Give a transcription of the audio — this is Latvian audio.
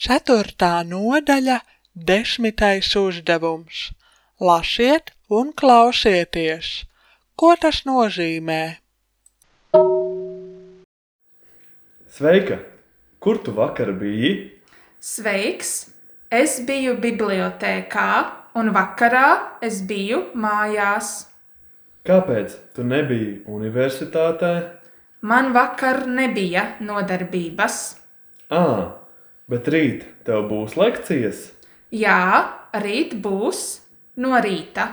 4. nodaļa, 10. uzdevums. Lasiet un klausieties. Ko tas nozīmē? Sveika! Kur tu vakar biji? Sveiks! Es biju bibliotēkā un vakarā es biju mājās. Kāpēc tu nebiji universitātē? Man vakar nebija nodarbības. Bet rīt tev būs lekcijas? Jā, rīt būs no rīta.